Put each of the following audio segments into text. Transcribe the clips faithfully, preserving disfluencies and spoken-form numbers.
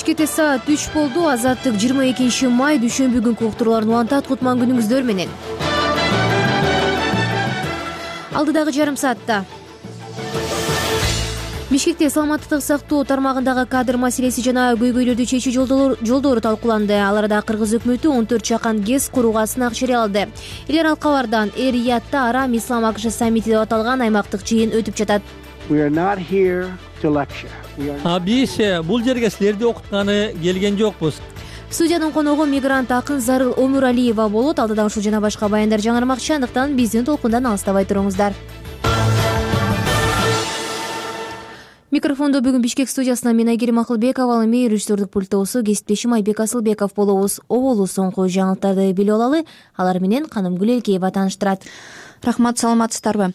Бишкекте саат үч болду. Азаттык жыйырма экинчи май дүйшөмбү күнкү уктурууларын улантат. Кутман күнүңүздөр менен. Алдыдагы жарым саатта Бишкекте саламаттык сактоо тармагындагы кадр маселеси жана көйгөйлөрдү чечүү жолдору талкууланды. Аларда кыргыз өкмөтү он төрт чакан ГЭС курууга сынак жарыялады. Эл аралык кабардан Эр-Риядта арам ислам АКШ саммити деп аталган аймактык жыйын өтүп жатат. Биз бул жерге силерди окутканы келген жокпуз. Студиянын коногу мигрант акын Зарыл Омуралиева болот. Алдыда ушул жана башка баяндар жаңырмакчы, андыктан биздин толкундан алыстабай туруңуздар. Микрофондо бүгүн Бишкек студиясынан мен Айгерим Акылбекова, ал эми режиссердик пульттоосу кесиптешим Айбек Асылбеков болобуз. Оболу соңку жаңылыктарды билип алалы. Алар менен Канымгүл Элкеева тааныштырат. Рахмат, саламатсыздарбы?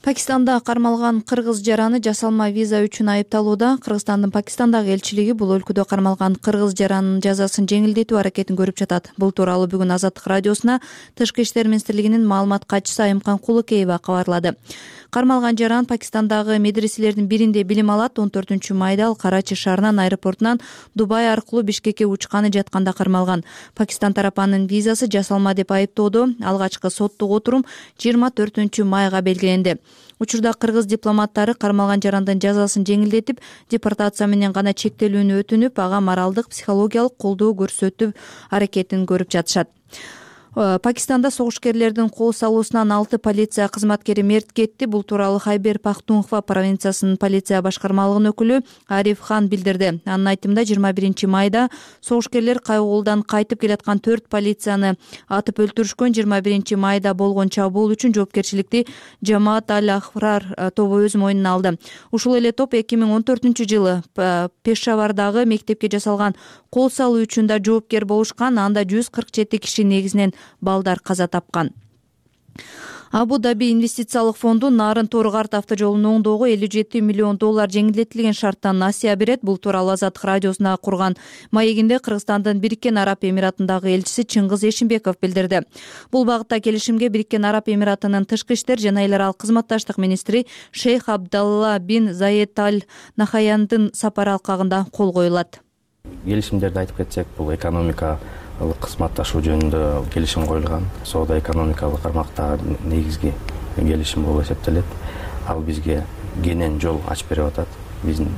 Пакистанда кармалган кыргыз жараны жасалма виза үчүн айыпталууда. Кыргызстандын Пакистандагы элчилиги бул өлкөдө кармалган кыргыз жаранынын жазасын жеңилдетүү аракетин көрүп жатат. Бул тууралуу бүгүн Азаттык радиосуна Тышкы иштер министрлигинин маалымат катчысы Айымкан Кулукеева кабарлады. Кармалган жаран Пакистандагы медреселердин биринде билим алат. он төртүнчү майда ал Карачи шаарынын аэропортунан Дубай аркылуу Бишкекке учканы жатканда кармалган. Пакистан тарапынын визасы жасалма деп айыптоодо алгачкы соттук отурум жыйырма төртүнчү майга белгиленди. Учурда кыргыз дипломаттары кармалган жарандын жазасын жеңилдетип, депортация менен гана чектелүүнү өтүнүп, ага моралдык, психологиялык колдоо көрсөтүү аракетин көрүп жатышат. Пакистанда согушкерлердин кол салуусунан алты полиция кызматкери мерт кетти. Бул тууралуу Хайбер Пахтунхва провинциясынын полиция башкармалыгынын өкүлү Ариф Хан билдирди. Анын айтымында жыйырма биринчи майда согушкерлер кайгуулдан кайтып келаткан төрт полицияны атып өлтүрүшкөн. жыйырма биринчи майда болгон чабуул үчүн жоопкерчиликти Жамаат Аль-Ахрар тобу өз мойнуна алды. Ушул эле топ эки миң он төртүнчү жылы Пешавардагы мектепке жасалган кол салуу үчүн да жоопкер болушкан. Анда жүз кырк жети киши, негизинен балдар, каза тапкан. Абу-Даби инвестициялык фонду Нарын Тору-Карт автожолунун оңдоого элүү жети миллион доллар жеңилдетилген шарттан насыя берет. Бул тууралуу Азаттык радиосуна курган маегинде Кыргызстандын Бириккен Араб Эмиратындагы элчиси Чыңгыз Эшимбеков билдирди. Бул багытта келишимге Бириккен Араб Эмиратынын тышкы иштер жана эл аралык кызматташтык министри Шейх Абдалла бин Заед Аль Нахаяндын сапары алкагында кол коюлат. Келишимдерди айтып кетсек, бул экономика кызматташуу жөнүндө келишим коюлган. Соода экономикалык кармактагы негизги келишим болуп эсептелет. Ал бизге кенен жол ачып берип атат биздин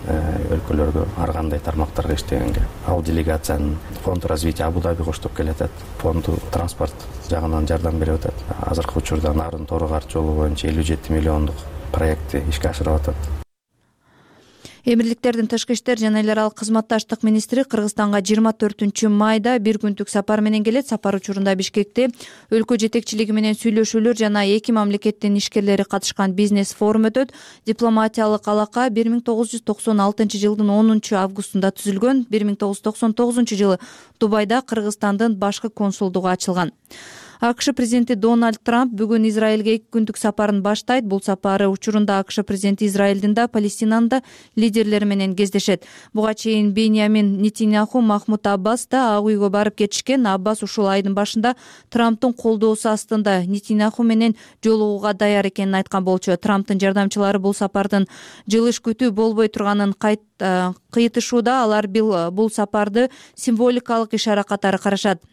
өлкөлөргө, ар кандай тармактарга иштегенге. Ал делегациянын фонд развития Абу-Даби коштоп келатат. Фонду транспорт жагынан жардам берип атат. Азыркы учурда Нарын Тору-Карт жолу боюнча элүү жети миллиондук проектти ишке ашырып атат. Эмирликтердин тышкы иштер жана эл аралык кызматташтык министри Кыргызстанга жыйырма төртүнчү майда бир күндүк сапар менен келет. Сапар учурунда Бишкекте өлкө жетекчилиги менен сүйлөшүүлөр жана эки мамлекеттин ишкерлери катышкан бизнес форум өтөт. Дипломатиялык алака бир миң тогуз жүз токсон алтынчы жылдын онунчу августунда түзүлгөн. бир миң тогуз жүз токсон тогузунчу жылы Дубайда Кыргызстандын башкы консулдугу ачылган. АКШ президенти Дональд Трамп бүгүн Израилге эки күндүк сапарын баштайт. Бул сапары учурунда АКШ президенти Израилдин да, Палестинанын да лидерлери менен кездешет. Буга чейин Беньямин Нетиньяху, Махмуд Аббас да Ак үйгө барып кетишкен. Аббас ушул айдын башында Трамптын колдоосу астында Нетиньяху менен жолугууга даяр экенин айткан болчу. Трамптын жардамчылары бул сапардын жылыш күтүү болбой турганын кайт кыйтышууда. Алар бул сапарды символикалык ишара катары карашат.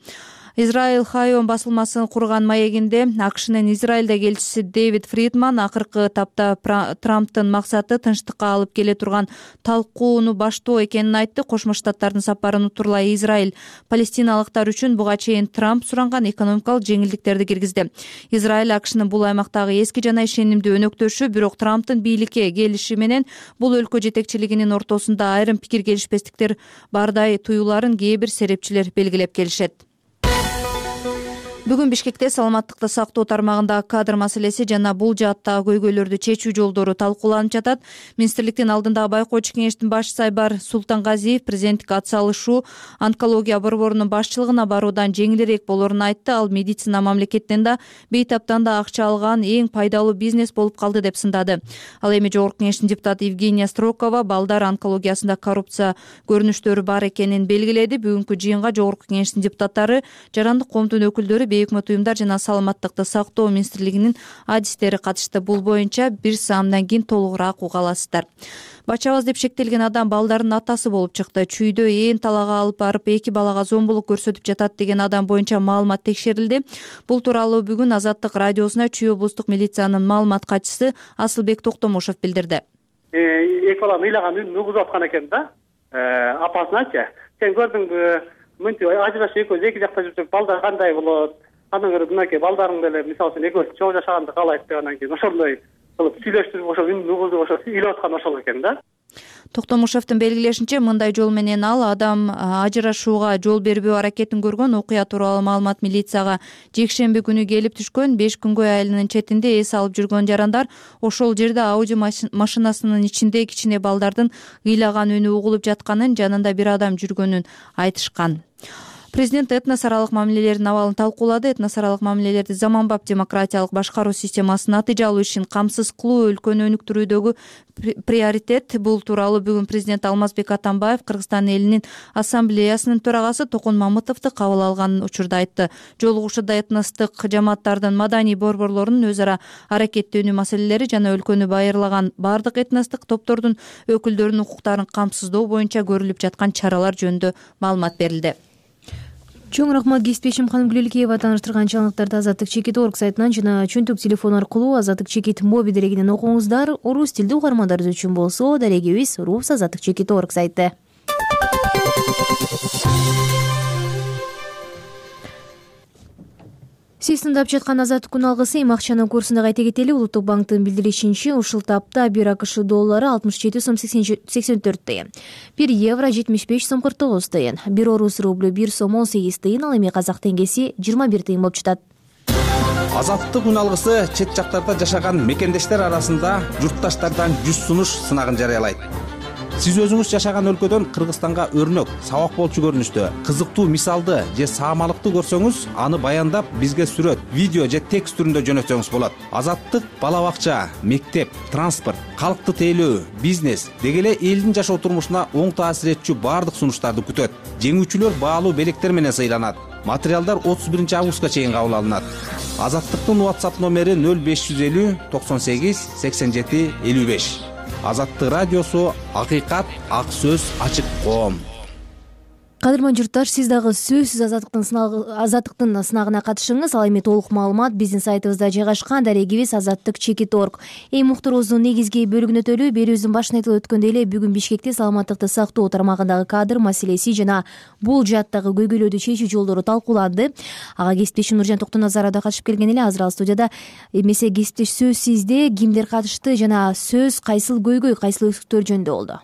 Израиль Хайон басылмасын курган маегинде АКШнын Израилдеги элчиси Дэвид Фридман акыркы тапта Трамптын максаты тынчтыкка алып келе турган талкууну баштоо экенин айтты. Кошмо Штаттардын сапарын утурлай Израиль палестиналыктар үчүн буга чейин Трамп суранган экономикалык жеңилдиктерди киргизди. Израиль АКШнын бул аймактагы эски жана ишенимдүү өнөктөшү, бирок Трамптын бийликке келиши менен бул өлкө жетекчилигинин ортосунда айрым пикир келишпестиктер бардай туюларын кээ бир серепчилер белгилеп келишет. Бүгүн Бишкекте саламаттыкты сактоо тармагындагы кадр маселеси жана бул жааттагы көйгөйлөрдү чечүү жолдору талкууланып жатат. Министрликтин алдындагы байкоочу кеңештин башчысы Айбар Султангазиев президенттикке ат салышуу онкология борборунун башчылыгына баруудан жеңилирээк болоорун айтты. Ал медицина мамлекеттен да, бейтаптан да акча алган эң пайдалуу бизнес болуп калды деп сындады. Ал эми жогорку кеңештин депутаты Евгения Строкова балдар онкологиясында коррупция көрүнүштөрү бар экенин белгиледи. Бүгүнкү жыйынга жогорку кеңештин депутаттары, жарандык коомдун өкүлдөрү, бейөкмөт уюмдар жана саламаттыкты сактоо министрлигинин адистери катышты. Бул боюнча бир саамдан кийин толугураак уга аласыздар. Бачабыз деп шектелген адам балдардын атасы болуп чыкты. Чүйдө ээн талаага алып барып эки балага зомбулук көрсөтүп жатат деген адам боюнча маалымат текшерилди. Бул тууралуу бүгүн Азаттык радиосуна Чүй облустук милициянын маалымат катчысы Асылбек Токтомушев билдирди. Эки баланы ыйлаган үнү угузуп аткан экен да. Апасыначы сен көрдүңбү, мынтип ажырашып экөөбүз эки жакта жүрсөк балдар кандай болот? Андан көрө мынакей балдарың деле мисалы үчүн экөөбүз чогуу жашаганды каалайт деп анан кийин ошондой кылып сүйлөштүрүп ошо үнүн угузуп ошо ыйлап аткан ошол экен да. Токтомушевдин белгилешинче, мындай жол менен ал адам ажырашууга жол бербөө аракетин көргөн. Окуя тууралуу маалымат милицияга жекшемби күнү келип түшкөн. беш күнгөй айылынын четинде эс алып жүргөн жарандар ошол жерде Ауди машинасынын ичинде кичине балдардын ыйлаган үнү угулуп жатканын, жанында бир адам жүргөнүн айтышкан. Президент этнос аралык мамилелердин абалын талкуулады. Этнос аралык мамилелерди заманбап демократиялык башкаруу системасын натыйжалуу ишин камсыз кылуу өлкөнү өнүктүрүүдөгү приоритет. Бул тууралуу бүгүн президент Алмазбек Атамбаев Кыргызстан элинин ассамблеясынын төрагасы Токун Мамытовду кабыл алган учурда айтты. Жолугушууда этностук жамааттардын маданий борборлорунун өз ара аракеттенүү маселелери жана өлкөнү байырлаган бардык этностук топтордун өкүлдөрүнүн укуктарын камсыздоо боюнча көрүлүп жаткан чаралар жөнүндө маалымат берилди. Чоң рахмат кесиптешим Ханым Гүлөлкеева. Тааныштырган жаңылыктарды Азаттык чекит орг сайтынан жана чөнтүк телефон аркылуу Азаттык чекит моби дарегинен окуңуздар. Орус тилдүү угармандарыбыз үчүн болсо дарегибиз Рус Азаттык чекит орг сайты. Сиз тыңдап жаткан Азаттык күн алгысы эми акчанын курсунда кайта кетели. Улуттук банктын билдиришинче, ушул тапта бир АКШ доллары алтымыш жети сом сексен төрт тыйын, бир евро жетимиш беш сом кырк тогуз тыйын, бир орус рублю бир сом он сегиз тыйын, ал эми казак теңгеси жыйырма бир тыйын болуп жатат. Азаттык күн алгысы чет жактарда жашаган мекендештер арасында журтташтардан жүз сунуш сынагын жарыялайт. Сиз өзүңүз жашаган өлкөдөн Кыргызстанга өрнөк, сабак болчу көрүнүштө, кызыктуу мисалды же саамалыкты көрсөңүз, аны баяндап бизге сүрөт, видео же текст түрүндө жөнөтсөңүз болот. Азаттык бала бакча, мектеп, транспорт, калкты тейлөө, бизнес деги эле элдин жашоо турмушуна оң таасир этчү баардык сунуштарды күтөт. Жеңүүчүлөр баалуу белектер менен сыйланат. Материалдар отуз биринчи августка чейин кабыл алынат. Азаттыктын WhatsApp номери нөл беш жүз элүү токсон сегиз сексен жети элүү беш. Азаттык радиосу, акыйкат, ак сөз, ачык коом. Кадырман журтташ, сиз дагы сөзсүз азаттыктын азаттыктын сынагына катышыңыз. Ал эми толук маалымат биздин сайтыбызда жайгашкан, дарегибиз азаттык чекит орг. Эми муктарыбыздын негизги бөлүгүнө өтөлү. Берүүбүздүн башында айтылып өткөндөй эле, бүгүн Бишкекте саламаттыкты сактоо тармагындагы кадр маселеси жана бул жааттагы көйгөйлөрдү чечүү жолдору талкууланды. Ага кесиптешим Нуржан Токтоназаров да катышып келген эле. Азыр ал студияда. Эмесе кесиптеш, сөз сизде. Кимдер катышты жана сөз кайсыл көйгөй, кайсыл өксүктөр жөнүндө болду?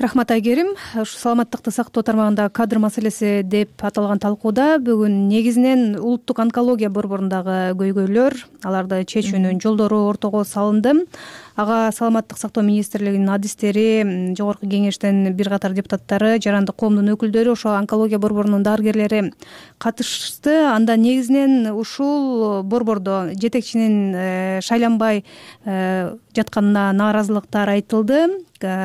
Рахмат Айгерим. Ушу саламаттыкты сактоо тармагында кадр маселеси деп аталган талкууда бүгүн негизинен улуттук онкология борборундагы көйгөйлөр, аларды чечүүнүн жолдору ортого салынды. Ага саламаттык сактоо министрлигинин адистери, жогорку кеңештин бир катар депутаттары, жарандык коомдун өкүлдөрү, ошо онкология борборунун дарыгерлери катышты. Анда негизинен ушул борбордо жетекчинин шайланбай жатканына нааразылыктар айтылды.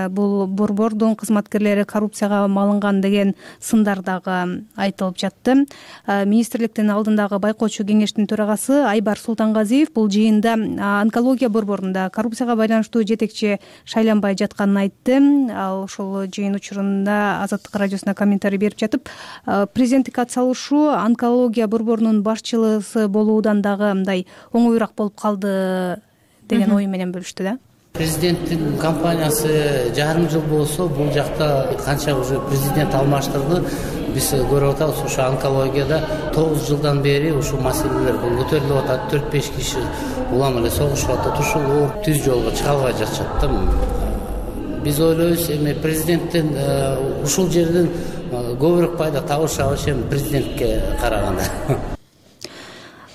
Бул борбордун кызматкерлери коррупцияга малынган деген сындар дагы айтылып жатты. Министрликтин алдындагы байкоочу кеңештин төрагасы Айбар Султангазиев бул жыйында онкология борборунда коррупцияга байланыштуу жетекчи шайланбай жатканын айтты. Ал ошол жыйын учурунда Азаттык радиосуна комментарий берип жатып, президенттикке атсалышуу онкология борборунун башчысы болуудан дагы мындай оңоюраак болуп калды деген ой менен бөлүштү да. Президенттин компаниясы жарым жыл болсо, бул жакта канча уже президент алмаштырды. Биз көрүп атабыз, ушу онкологияда тогуз жылдан бери ушул маселелер көтөрүлүп атат. төрт беш киши улам эле согушуп атат. Ушул ооруп түз жолго чыга албай жатышат да. Биз ойлойбуз, эми президенттин ушул жерден көбүрөөк пайда табышы абыш эми президентке караганда.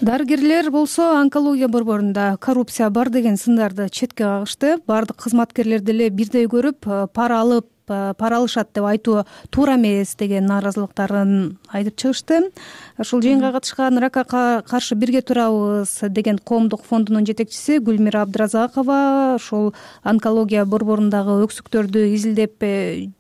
Дарыгерлер болсо онкология борборунда коррупция бар деген сындарды четке кагышты. Бардык кызматкерлерди эле бирдей көрүп, пара алып пара алышат деп айтуу туура эмес деген нааразылыктарын айтып чыгышты. Ушул жыйынга катышкан ракка каршы бирге турабыз деген коомдук фондунун жетекчиси Гүлмира Абдыразакова ушул онкология борборундагы өксүктөрдү изилдеп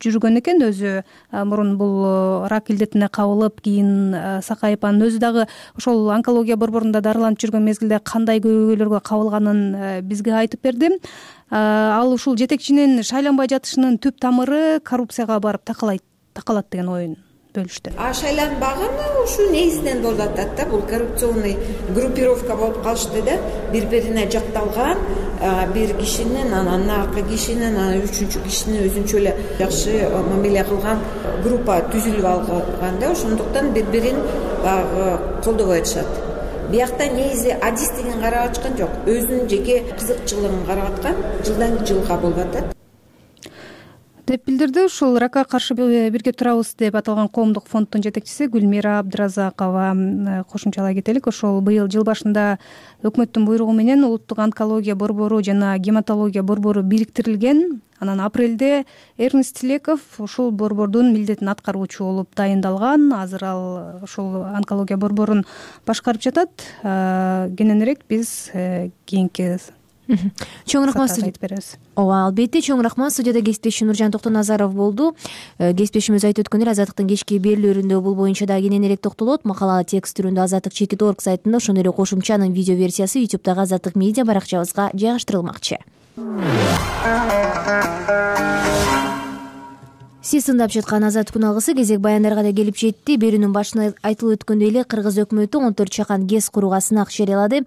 жүргөн экен. Өзү мурун бул рак илдетине кабылып, кийин сакайып, анын өзү дагы ошол онкология борборунда дарыланып жүргөн мезгилде кандай көйгөйлөргө кабылганын бизге айтып берди. Ал ушул жетекчинин шайланбай жатышынын түп тамыры коррупцияга барып такалайт такалат деген оюн бөлүштү. А шайланбаган ушу негизинен болуп атат да, бул коррупционный группировка болуп калышты да, бири-бирине жакталган бир кишинин, анан наркы кишинин, анан үчүнчү кишини өзүнчө эле жакшы мамиле кылган группа түзүлүп алган да, ошондуктан бири-бирин колдобой атышат. Биякта негизи адистигин карап ачкан жок, өзүнүн жеке кызыкчылыгын карап аткан, жылдан жылга болуп атат деп билдирди. Ушул ракка каршы бирге турабыз деп аталган коомдук фонддун жетекчиси Гүлмира Абдыразакова. Кошумчалай кетелик, ошол быйыл жыл башында өкмөттүн буйругу менен улуттук онкология борбору жана гематология борбору бириктирилген. Анан апрелде Эрнест Тилеков ушул борбордун милдетин аткаруучу болуп дайындалган. Азыр ал ушул онкология борборун башкарып жатат. Кененирээк биз кийинки чоң рахмат айтып беребиз. Ооба, албетте, чоң рахмат. Студияда кесиптешим Нуржан Токтоназаров болду. Кесиптешимиз айтып өткөндөй, Азаттыктын кечки берүүлөрүндө бул боюнча да кененирээк токтолот. Макала текст түрүндө азаттык чекит точка орг сайтында, ошондой эле кошумчанын видео версиясы ютубтагы Азаттык медиа баракчабызга жайгаштырылмакчы. Сиз тыңдап жаткан Азаттык күн алгысы кезек баяндарга да келип жетти. Берүүнүн башында айтылып өткөндөй эле Кыргыз өкмөтү он төрт чакан ГЭС курууга сынак жарыялады.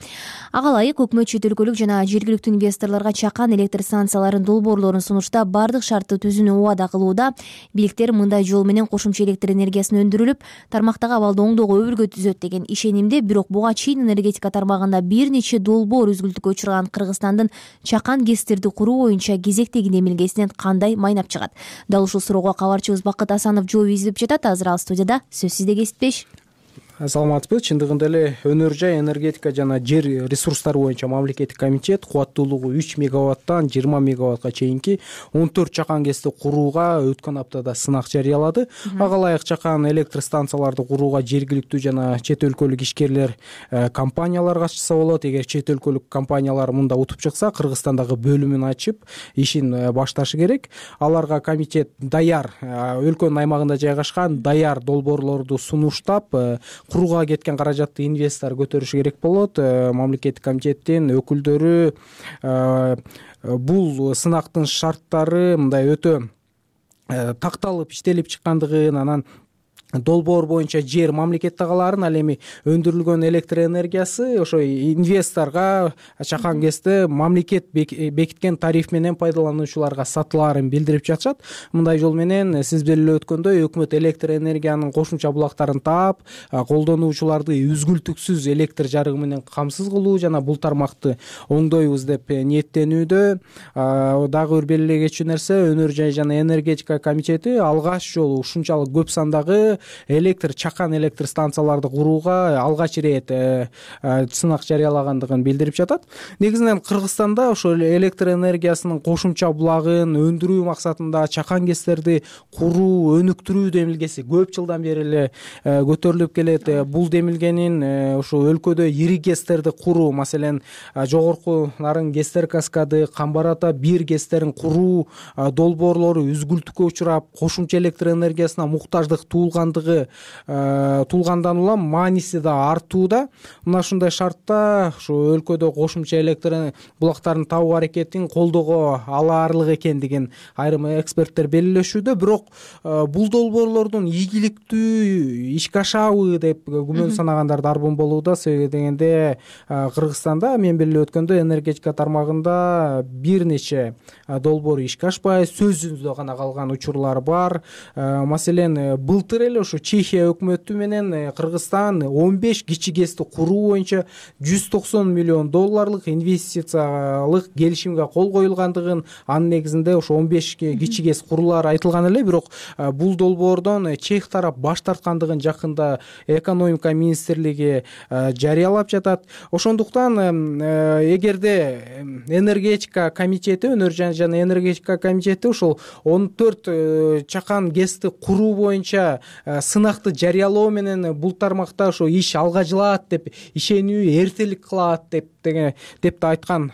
Ага ылайык өкмөт чет өлкөлүк жана жергиликтүү инвесторлорго чакан электр станцияларынын долбоорлорун сунуштап, бардык шартты түзүүнү убада кылууда. Бийликтер мындай жол менен кошумча электр энергиясын өндүрүлүп, тармактагы абалды оңдоого өбүлгө түзөт деген ишенимде. Бирок буга чейин энергетика тармагында бир нече долбоор үзгүлтүккө учурган Кыргызстандын чакан ГЭСтерди куруу боюнча кезектеги эмилгесинен кандай майнап чыгат? Дал ушул суроо кабарчыбыз Бакыт Асанов жооп изилип жатат. Азыр ал студияда. Сөз сизде, кесиптеш. Саламатсызбы. Чындыгында эле өнөр жай энергетика жана жер ресурстары боюнча мамлекеттик комитет кубаттуулугу үч мегаваттан жыйырма мегаваттка чейинки он төрт чакан ГЭСти курууга өткөн аптада сынак жарыялады. Ага ылайык чакан электр станцияларды курууга жергиликтүү жана чет өлкөлүк ишкерлер, компаниялар катышса болот. Эгер чет өлкөлүк компаниялар мында утуп чыкса, Кыргызстандагы бөлүмүн ачып, ишин башташы керек. Аларга комитет даяр, өлкөнүн аймагында жайгашкан даяр долбоорлорду сунуштап, курууга кеткен каражатты инвестор көтөрүшү керек болот. Мамлекеттик комитеттин өкүлдөрү бул сынактын шарттары мындай өтө такталып иштелип чыккандыгын, анан долбоор боюнча жер мамлекет тагаларын, ал эми өндүрүлгөн электр энергиясы ошо инвесторго чакан ГЭСти мамлекет бекиткен тариф менен пайдалануучуларга сатылаарын билдирип жатышат. Мындай жол менен сиз белгилеп өткөндөй өкмөт электр энергиянын кошумча булактарын таап, колдонуучуларды үзгүлтүксүз электр жарыгы менен камсыз кылуу жана бул тармакты оңдойбуз деп ниеттенүүдө. Дагы бир белгилей кетчү нерсе, өнөр жай жана энергетика комитети алгач жолу ушунчалык көп сандагы электр чакан электр станцияларды курууга алгач ирет сынак жарыялагандыгын билдирип жатат. Негизинен Кыргызстанда ошол электр энергиясынын кошумча булагын өндүрүү максатында чакан ГЭСтерди куруу, өнүктүрүү демилгеси көп жылдан бери эле көтөрүлүп келет. Бул демилгенин ошо өлкөдө ири ГЭСтерди куруу, маселен жогорку нарын ГЭСтер каскады, Камбар ата бир ГЭСтерин куруу долбоорлору үзгүлтүккө учурап, кошумча электр энергиясына муктаждык туулган туулгандан улам мааниси да артууда. Мына ушундай шартта ушу өлкөдө кошумча электр булактарын табуу аракетин колдоого алаарлык экендигин айрым эксперттер белгилешүүдө. Бирок бул долбоорлордун ийгиликтүү ишке ашабы деп күмөн санагандар дарбын болууда. Себеби дегенде Кыргызстанда мен белгилеп өткөндөй энергетика тармагында бир нече долбоор ишке ашпай, сөзүндө гана калган учурлар бар. Маселен, былтыр эле эле ушу Чехия өкмөтү менен Кыргызстан он беш кичи гэсти куруу боюнча жүз токсон миллион долларлык инвестициялык келишимге кол коюлгандыгын, анын негизинде ошо он беш кичи гэс курулаары айтылган эле. Бирок бул долбоордон чех тарап баш тарткандыгын жакында экономика министрлиги жарыялап жатат. Ошондуктан эгерде энергетика комитети, өнөр жана энергетика комитети ушул он төрт чакан гэсти куруу боюнча сынакты жарыялоо менен бул тармакта ошо иш алга жылат деп ишенүү эртелик кылат деп деп да айткан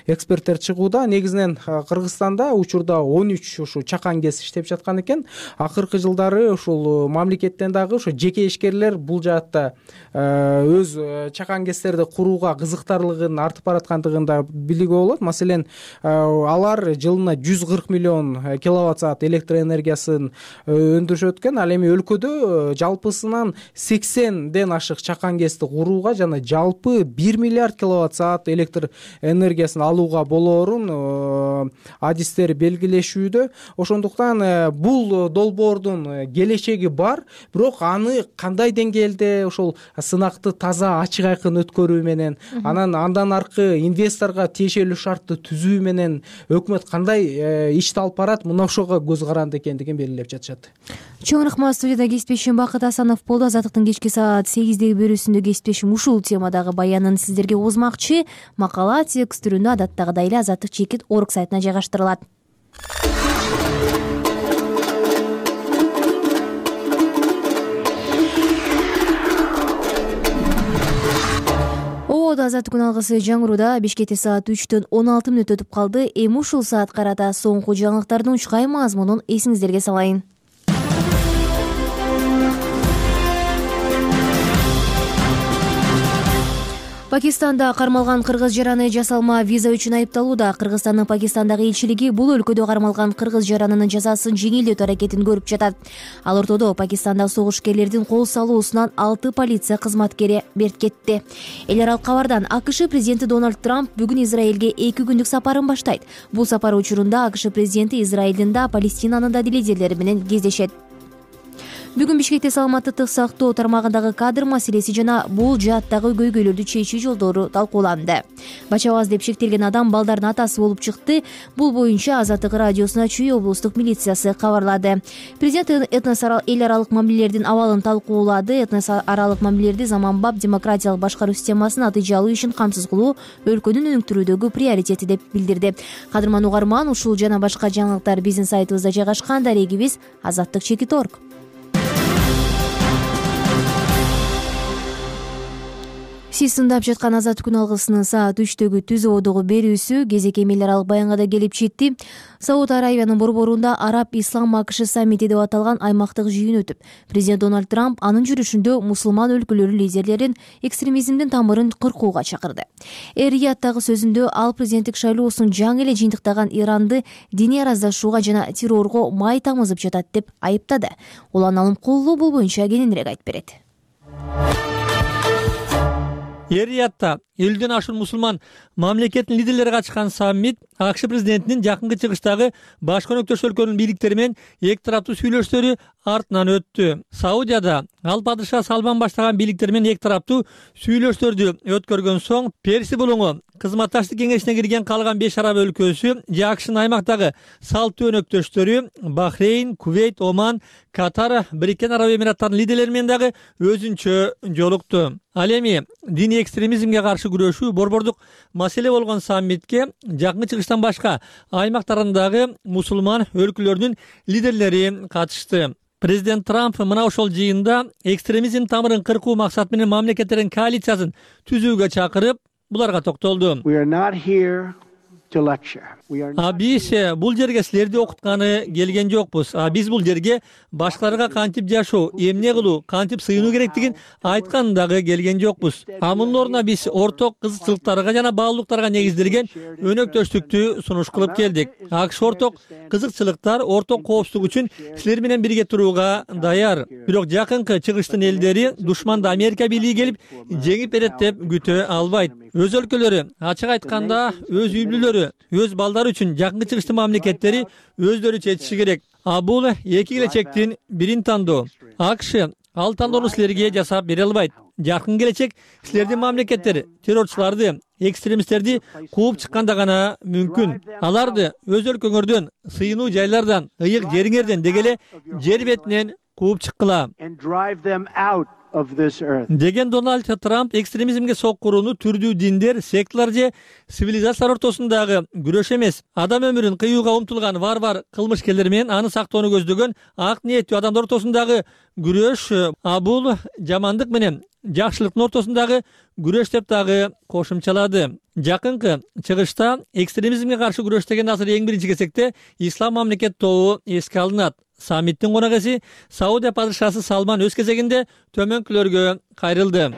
эксперттер чыгууда. Негизинен Кыргызстанда учурда он үч ушу чакан гэс иштеп жаткан экен. Акыркы жылдары ушул мамлекеттен дагы ошо жеке ишкерлер бул жаатта өз чакан гэстерди курууга кызыктарлыгын артып бараткандыгын да билүүгө болот. Маселен, алар жылына жүз кырк миллион киловатт саат электр энергиясын өндүрүшөт экен. Ал эми өлкөдө жалпысынан сексенден ашык чакан гэсти курууга жана жалпы бир миллиард киловатт саат электр энергиясын алууга болоорун адистер белгилешүүдө. Ошондуктан бул долбоордун келечеги бар, бирок аны кандай деңгээлде ошол сынакты таза ачык айкын өткөрүү менен, анан андан аркы инвесторго тиешелүү шартты түзүү менен өкмөт кандай ишти алып барат, мына ошого көз каранды экендигин белгилеп жатышат. Чоң рахмат. Студияда кесиптешим Бакыт Асанов болду. Азаттыктын кечки саат сегиздеги берүүсүндө кесиптешим ушул темадагы баянын сиздерге узмакчы. Макала текст түрүндө адаттагыдай эле Азаттык чекит орг сайтына жайгаштырылат. Ободо Азаттык күн алгысы жаңырууда. Бишкекте саат үчтөн он алты мүнөт өтүп калды. Эми ушул саат карата соңку жаңылыктардын учкай мазмунун эсиңиздерге салайын. Пакистанда кармалган кыргыз жараны жасалма виза үчүн айыпталууда. Кыргызстандын Пакистандагы элчилиги бул өлкөдө кармалган кыргыз жаранынын жазасын жеңилдетүү аракетин көрүп жатат. Ал ортодо Пакистанда согушкерлердин кол салуусунан алты полиция кызматкери берт кетти. Эл аралык кабардан АКШ президенти Дональд Трамп бүгүн Израилге эки күндүк сапарын баштайт. Бул сапар учурунда АКШ президенти Израилдин да, Палестинанын да лидерлери менен кездешет. Бүгүн Бишкекте саламаттыктык сактоо тармагындагы кадр маселеси жана бул жааттагы көйгөйлөрдү чечүү жолдору талкууланды. Бачабаз деп шектелген адам балдардын атасы болуп чыкты. Бул боюнча Азаттык радиосуна Чүй облустук милициясы кабарлады. Президент этнос эл аралык мамилелердин абалын талкуулады. Этнос аралык мамилелерди заманбап демократиялык башкаруу системасын натыйжалуу ишин камсыз кылуу өлкөнүн өнүктүрүүдөгү приоритети деп билдирди. Кадырман угарман, ушул жана башка жаңылыктар биздин сайтыбызда жайгашкан. Дарегибиз азаттык чекит орг. Сиз тыңдап жаткан Азаттык күн алгысынын саат үчтөгү түз ободогу берүүсү кезек эл аралык баянга да келип жетти. Сауд Аравиянын борборунда Араб Ислам АКШ саммити деп аталган аймактык жыйын өтүп, президент Дональд Трамп анын жүрүшүндө мусулман өлкөлөрү лидерлерин экстремизмдин тамырын кыркууга чакырды. Эр-Рияттагы сөзүндө ал президенттик шайлоосун жаңы эле жыйынтыктаган Иранды диний араздашууга жана террорго май тамызып жатат деп айыптады. Улан Алым Куллу бул боюнча кененирээк айтып берет. Эр-Риядда элүүдөн ашуун мусулман мамлекеттин лидерлери катышкан саммит АКШ президентинин жакынкы чыгыштагы баш өнөктөш өлкөнүн бийликтери менен эки тараптуу сүйлөшүүлөрү артынан өттү. Саудияда ал падыша Салман баштаган бийликтер менен эки тараптуу сүйлөшүүлөрдү өткөргөн соң Перси булуңу кызматташтык кеңешине кирген калган беш араб өлкөсү же АКШнын аймактагы салттуу өнөктөштөрү Бахрейн, Кувейт, Оман, Катар, Бириккен Араб Эмираттарынын лидерлери менен дагы өзүнчө жолукту. Ал эми диний экстремизмге каршы күрөшүү борбордук маселе болгон саммитке жакынкы чыгыштан башка аймактарындагы мусулман өлкөлөрүнүн лидерлери катышты. Президент Трамп мына ошол жыйында экстремизм тамырын кыркуу максаты менен мамлекеттердин коалициясын түзүүгө чакырып, буларга токтолду. А биз бул жерге силерди окутканы келген жокпуз. А биз бул жерге башкаларга кантип жашоо, эмне кылуу, кантип сыйынуу керектигин айтканы дагы келген жокпуз. А мунун ордуна биз орток кызыкчылыктарга жана баалуулуктарга негизделген өнөктөштүктү сунуш кылып келдик. АКШ орток кызыкчылыктар, орток коопсуздук үчүн силер менен бирге турууга даяр. Бирок жакынкы чыгыштын элдери душманды Америка бийлиги келип жеңип берет деп күтө албайт. Өз өлкөлөрү, ачык айтканда, өз үй бүлөлөрү, өз балдары үчүн жакынкы чыгыштын мамлекеттери өздөрү чечиши керек. А бул эки келечектин бирин тандоо. АКШ ал тандоону силерге жасап бере албайт. Жакын келечек силердин мамлекеттер террорчуларды, экстремисттерди кууп чыкканда гана мүмкүн. Аларды өз өлкөңөрдөн, сыйынуу жайлардан, ыйык жериңерден деги эле жер бетинен кууп чыккыла деген Дональд Трамп экстремизмге соккурууну түрдүү диндер, секталар же цивилизациялар ортосундагы күрөш эмес, адам өмүрүн кыюуга умтулган варвар кылмышкерлер менен аны сактоону көздөгөн ак ниеттүү адамдар ортосундагы күрөш, а бул жамандык менен жакшылыктын ортосундагы күрөш деп дагы кошумчалады. Жакынкы чыгышта экстремизмге каршы күрөш деген азыр эң биринчи кезекте ислам мамлекет тобу эске алынат. Саммиттин коногеси Саудия падышасы Салман өз кезегинде төмөнкүлөргө кайрылды.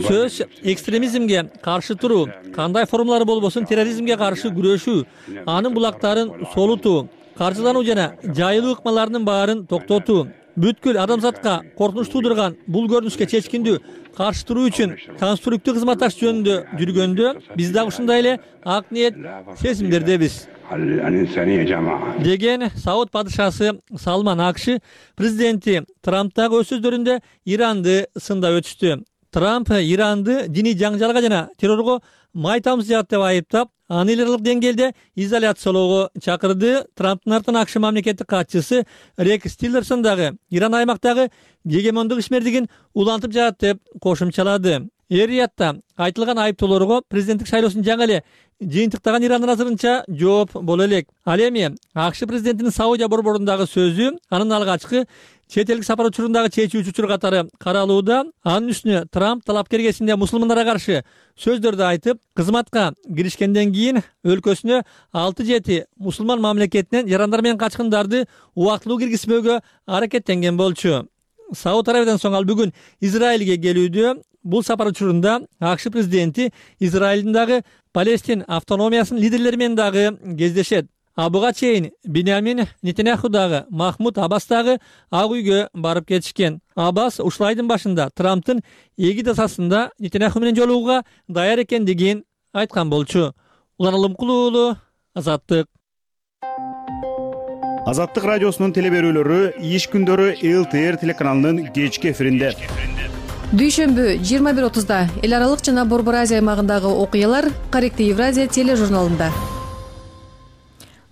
Сөз экстремизмге каршы туруу, кандай формалары болбосун терроризмге каршы күрөшүү, анын булактарын солутуу, каржылануу жана жайылуу ыкмаларынын баарын токтотуу, бүткүл адамзатка коркунуч туудурган бул көрүнүшкө чечкиндүү каршы туруу үчүн конструктив кызматташ жөнүндө жүргөндө биз дагы ушундай эле ак ниет сезимдердебиз деген Сауд падышасы Салман. АКШ президенти Трамп дагы өз сөздөрүндө Иранды сындап өтүштү. Трамп Иранды диний жаңжалга жана террорго май тамчылат деп айыптап, аны эл аралык деңгээлде изоляциялоого чакырды. Трамптын артынан АКШ мамлекеттик катчысы Рекс Тиллерсон дагы Иран аймактагы гегемондук ишмердигин улантып жатат деп кошумчалады. Эр-Риядта айтылган айыптоолорго президенттик шайлоосун жаңы эле жыйынтыктаган Ирандын азырынча жооп боло элек. Ал эми АКШ президентинин Саудия борборундагы сөзү анын алгачкы чет элдик сапар учурундагы чечүүчү учур катары каралууда. Анын үстүнө Трамп талапкер кезинде мусулмандарга каршы сөздөрдү айтып, кызматка киришкенден кийин өлкөсүнө алты жети мусулман мамлекетинен жарандар менен качкындарды убактылуу киргизмөөгө аракеттенген болчу. Сауд Арабиядан соң ал бүгүн Израилге келүүдө. Бул сапар учурунда АКШ президенти Израилдин дагы Палестин автономиясынын лидерлери менен дагы кездешет. А буга чейин Биньямин Нетаньяху дагы Махмуд Аббас дагы Ак үйгө барып кетишкен. Аббас ушул айдын башында Трамптын эгид асасында Нетаньяху менен жолугууга даяр экендигин айткан болчу. Улан Алымкул уулу, Азаттык. Азаттык радиосунун теле берүүлөрү иш күндөрү эл тэ эр телеканалынын кечки эфиринде. Дүйшөмбү жыйырма бир отузда эл аралык жана Борбор Азия аймагындагы окуялар Каректи Евразия тележурналында.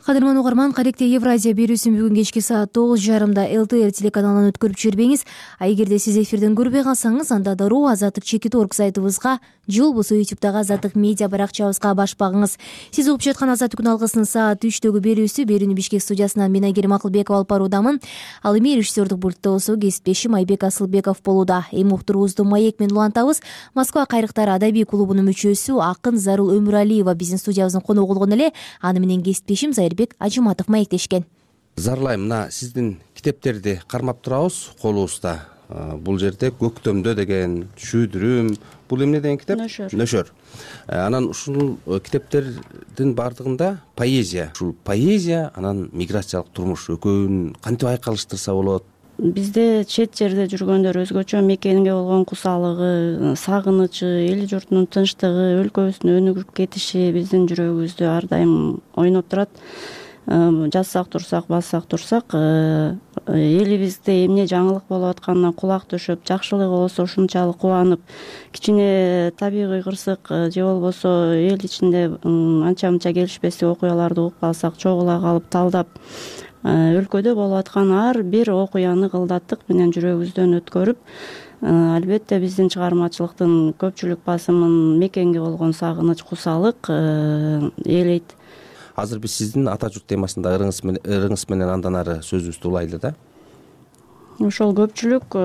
Кадырман угарман, Каректи Евразия берүүсүн бүгүн кечки саат тогуз жарымда эл тэ эр телеканалынан өткөрүп жибербеңиз. А эгерде сиз эфирден көрбөй калсаңыз, анда дароо Азаттык чекит точка орг сайтыбызга же болбосо ютубтагы Азаттык медиа баракчабызга баш багыңыз. Сиз угуп жаткан Азаттык күн алгысынын саат үчтөгү берүүсү. Берүүнү Бишкек студиясынан мен Айгерим Акылбекова алып баруудамын. Ал эми режиссердук пультта болсо кесиптешим Айбек Асылбеков болууда. Эми уктуруубузду маек менен улантабыз. Москва кайрыктары адабий клубунун мүчөсү акын Зарыл Өмүралиева биздин студиябыздын коногу болгон эле. Аны менен кесиптешим Зайырбек Ажыматов маектешкен. Зарлайм, мына сиздин китептерди кармап турабыз колубузда. Бул жерде Көктөмдө деген, Шүйдүрүм, бул эмне деген китеп? Нөшөр. Нөшөр. Анан ушул китептердин бардыгында поэзия. Ушул поэзия анан миграциялык турмуш экөөнүн кантип айкалыштырса болот? Бизде чет жерде жүргөндөр өзгөчө мекенге болгон кусалыгы, сагынычы, эл журтунун тынчтыгы, өлкөбүздүн өнүгүп кетиши биздин жүрөгүбүздө ар дайым ойноп турат. Жазсак турсак, бассак турсак, элибизде эмне жаңылык болуп атканына кулак төшөп, жакшылыгы болсо ушунчалык кубанып, кичине табигый кырсык же болбосо эл ичинде анча-мынча келишпестик окуяларды угуп калсак, чогула калып талдап, өлкөдө болуп аткан ар бир окуяны кылдаттык менен жүрөгүбүздөн өткөрүп, албетте биздин чыгармачылыктын көпчүлүк басымын мекенге болгон сагыныч, кусалык ээлейт. Азыр биз сиздин ата журт темасында ырыңыз менен, ырыңыз менен андан ары сөзүбүздү улайлы да. Ошол көпчүлүк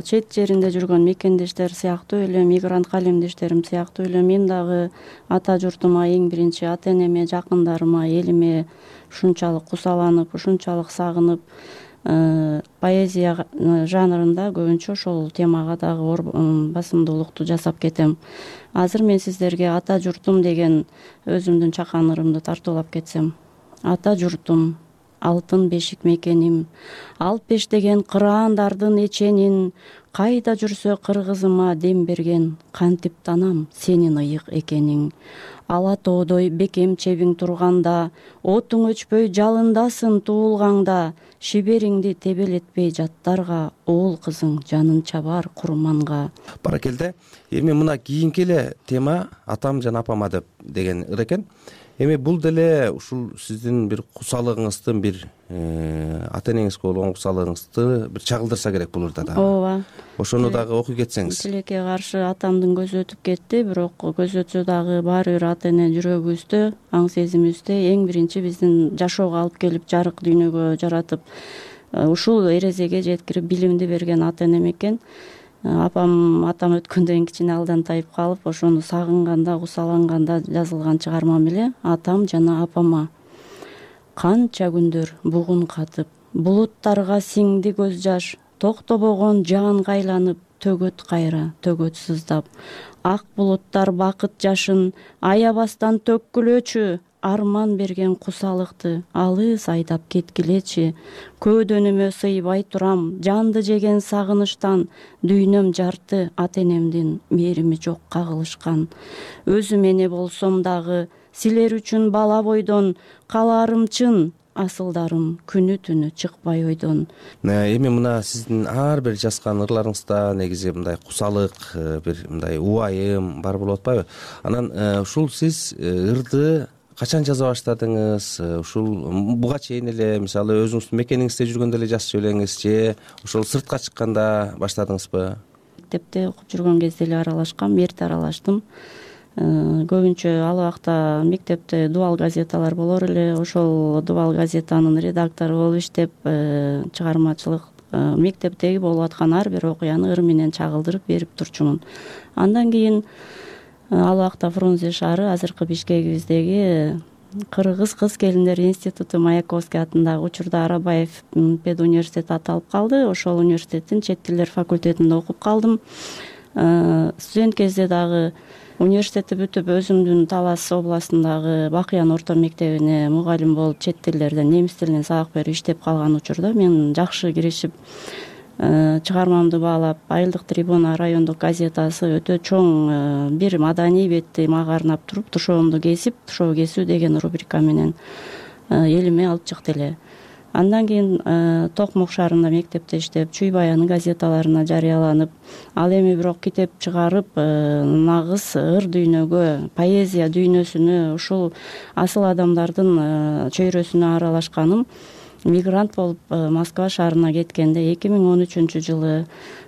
чет жеринде жүргөн мекендештер сыяктуу эле, мигрант калемдештерим сыяктуу эле мен дагы ата журтума, эң биринчи ата энеме, жакындарыма, элиме ушунчалык кусаланып, ушунчалык сагынып, поэзия жанрында көбүнчө ошол темага дагы басымдуулукту жасап кетем. Азыр мен сиздерге ата журтум деген өзүмдүн чакан ырымды тартуулап кетсем. Ата журтум, алтын бешик мекеним, алп бештеген кыраандардын эченин, кайда жүрсө кыргызыма дем берген, кантип танам сенин ыйык экениң. ала тоодой бекем чебиң турганда, отуң өчпөй жалындасын туулгаңда, шибериңди тебелетпей жаттарга, уул кызың жанын чабар курманга. Баракелде. Эми мына кийинки эле тема атам жана апама деп деген ыр экен. Эми бул деле ушул сиздин бир кусалыгыңыздын бир ата энеңизге болгон кусалыгыңызды бир чагылдырса керек бул ырда дагы. Ооба. Ошону дагы окуй кетсеңиз. Тилекке каршы атамдын көзү өтүп кетти, бирок көз өтсө дагы баары бир ата эне жүрөгүбүздө, аң сезимибизде эң биринчи биздин жашоого алып келип жарык дүйнөгө жаратып, ушул эрезеге жеткирип билимди берген ата энем экен. Апам атам өткөндөн кичине алдан тайып калып, ошону сагынганда, кусаланганда жазылган чыгармам эле атам жана апама. Канча күндөр бугун катып, булуттарга сиңди көз жаш, токтобогон жаанга айланып, төгөт кайра, төгөт сыздап. Ак булуттар бакыт жашын аябастан төккүлөчү, арман берген кусалыкты алыс айдап кеткилечи. Көөдөнүмө сыйбай турам, жанды жеген сагынычтан, дүйнөм жарты ата энемдин мээрими жок кагылышкан. Өзүм эне болсом дагы, силер үчүн бала бойдон, калаарым чын, асылдарым күнү түнү чыкпай ойдон. Эми мына сиздин ар бир жазган ырларыңызда негизи мындай кусалык, бир мындай убайым бар болуп атпайбы? Анан ушул сиз ырды качан жаза баштадыңыз? Ушул буга чейин эле мисалы өзүңүздүн мекениңизде жүргөндө эле жазчу белеңиз же ошол сыртка чыкканда баштадыңызбы? Мектепте окуп жүргөн кезде эле аралашкам, эрте аралаштым. Көбүнчө ал убакта мектепте дубал газеталар болор эле, ошол дубал газетанын редактору болуп иштеп, чыгармачылык мектептеги болуп аткан ар бир окуяны ыр менен чагылдырып берип турчумун. Андан кийин ал убакта Фрунзе шаары, азыркы Бишкегибиздеги Кыргыз кыз келиндер институту Маяковский атындагы учурда Арабаев пед университети аталып калды. Ошол университеттин чет тилдер факультетинде окуп калдым. Студент кезде дагы университетти бүтүп, өзүмдүн Талас областындагы Бакыян орто мектебине мугалим болуп, чет тилдерден, немис тилинен сабак берип иштеп калган учурда мен жакшы киришип, чыгармамды баалап, Айылдык трибуна райондук газетасы өтө чоң бир маданий бетти мага арнап туруп, тушоомду кесип, тушоо кесүү деген рубрика менен элиме алып чыкты эле. Андан кийин Токмок шаарында мектепте иштеп, Чүй баяны газеталарына жарыяланып, ал эми бирок китеп чыгарып, нагыз ыр дүйнөгө, поэзия дүйнөсүнө, ушул асыл адамдардын чөйрөсүнө аралашканым мигрант болуп Москва шаарына кеткенде эки миң он үчүнчү жылы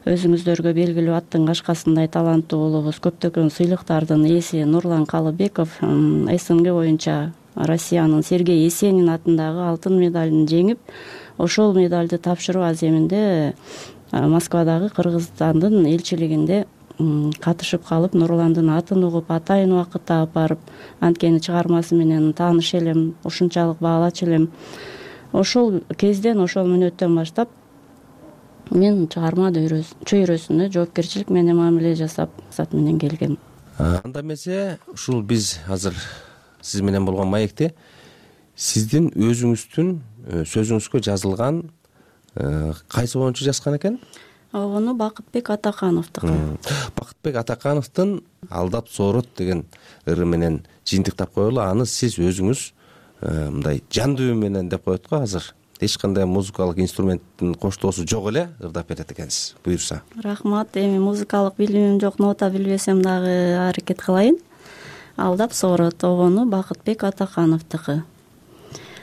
өзүңүздөргө белгилүү аттын кашкасындай таланттуу уулубуз, көптөгөн сыйлыктардын ээси Нурлан Калыбеков СНГ боюнча Россиянын Сергей Есенин атындагы алтын медалын жеңип, ошол медалды тапшыруу аземинде Москвадагы Кыргызстандын элчилигинде катышып калып, Нурландын атын угуп, атайын убакыт таап барып, анткени чыгармасы менен тааныш элем, ушунчалык баалачу элем. Ошол кезден, ошол мүнөттөн баштап мен чыгарма чөйрөсүнө жоопкерчилик менен мамиле жасап, максат менен келгем. Анда эмесе, ушул биз азыр сиз менен болгон маекте сиздин өзүңүздүн сөзүңүзгө жазылган кайсы оюнчу жазган экен? Огону Бакытбек Атакановдуку. Бакытбек Атакановдун Алдап соорот деген ыры менен жыйынтыктап коелу. Аны сиз өзүңүз мындай жан дүйүм менен деп коет го, азыр эч кандай музыкалык инструменттин коштоосу жок эле ырдап берет экенсиз. Буюрса. Рахмат. Эми музыкалык билимим жок, нота билбесем дагы аракет кылайын. Алдап соорот огону Бакытбек Атакановдуку.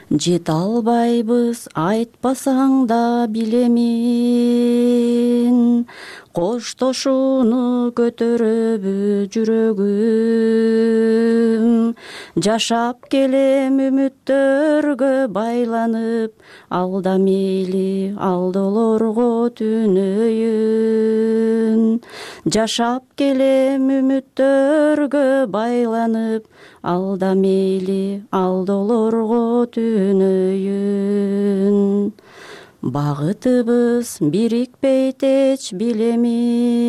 Жете албайбыз, айтпасаң да билемин, коштошууну көтөрөбү жүрөгүм. Жашап келем үмүттөргө байланып, алда мейли алдолорго түнөйүн. Жашап келем үмүттөргө байланып, алда мейли алдолорго түнөйүн. Багытыбыз бирикпейт эч билемин,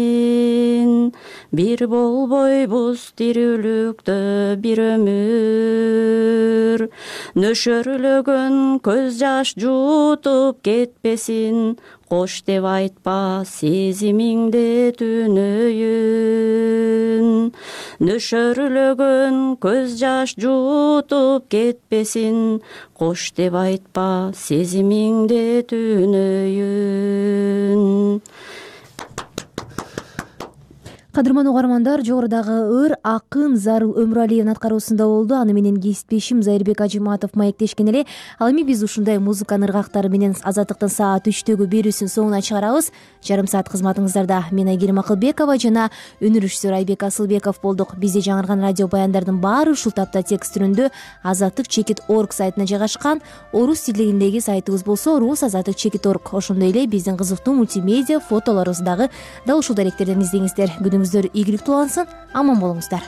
бир болбойбуз тирүүлүктө бир өмүр. нөшөрлөгөн көз жаш жуутуп кетпесин, кош деп айтпа сезимиңде түнөйүн. Нөшөрлөгөн көз жаш жуутуп кетпесин, кош деп айтпа сезимиңде түнөйүн. Кадырман угармандар, жогорудагы ыр акын Зарыл Өмүралиевдин аткаруусунда болду. Аны менен кесиптешим Зайырбек Ажыматов маектешкен эле. Ал эми биз ушундай музыканын ыргактары менен Азаттыктын саат үчтөгү берүүсүнүн соңуна чыгарабыз. Жарым саат кызматыңыздарда мен Айгерим Акылбекова жана өнүрүшчүсү Айбек Асылбеков болдук. Бизде жаңырган радио баяндардын баары ушул тапта текст түрүндө азаттык чекит точка орг сайтына жайгашкан. Орус тилиндеги сайтыбыз болсо рус азаттык чекит точка орг. Ошондой эле биздин кызыктуу мультимедиа фотолорубузду дагы дал ушул даректерден издеңиздер. Күнүңүздөр ийгиликтүү улансын, аман болуңуздар.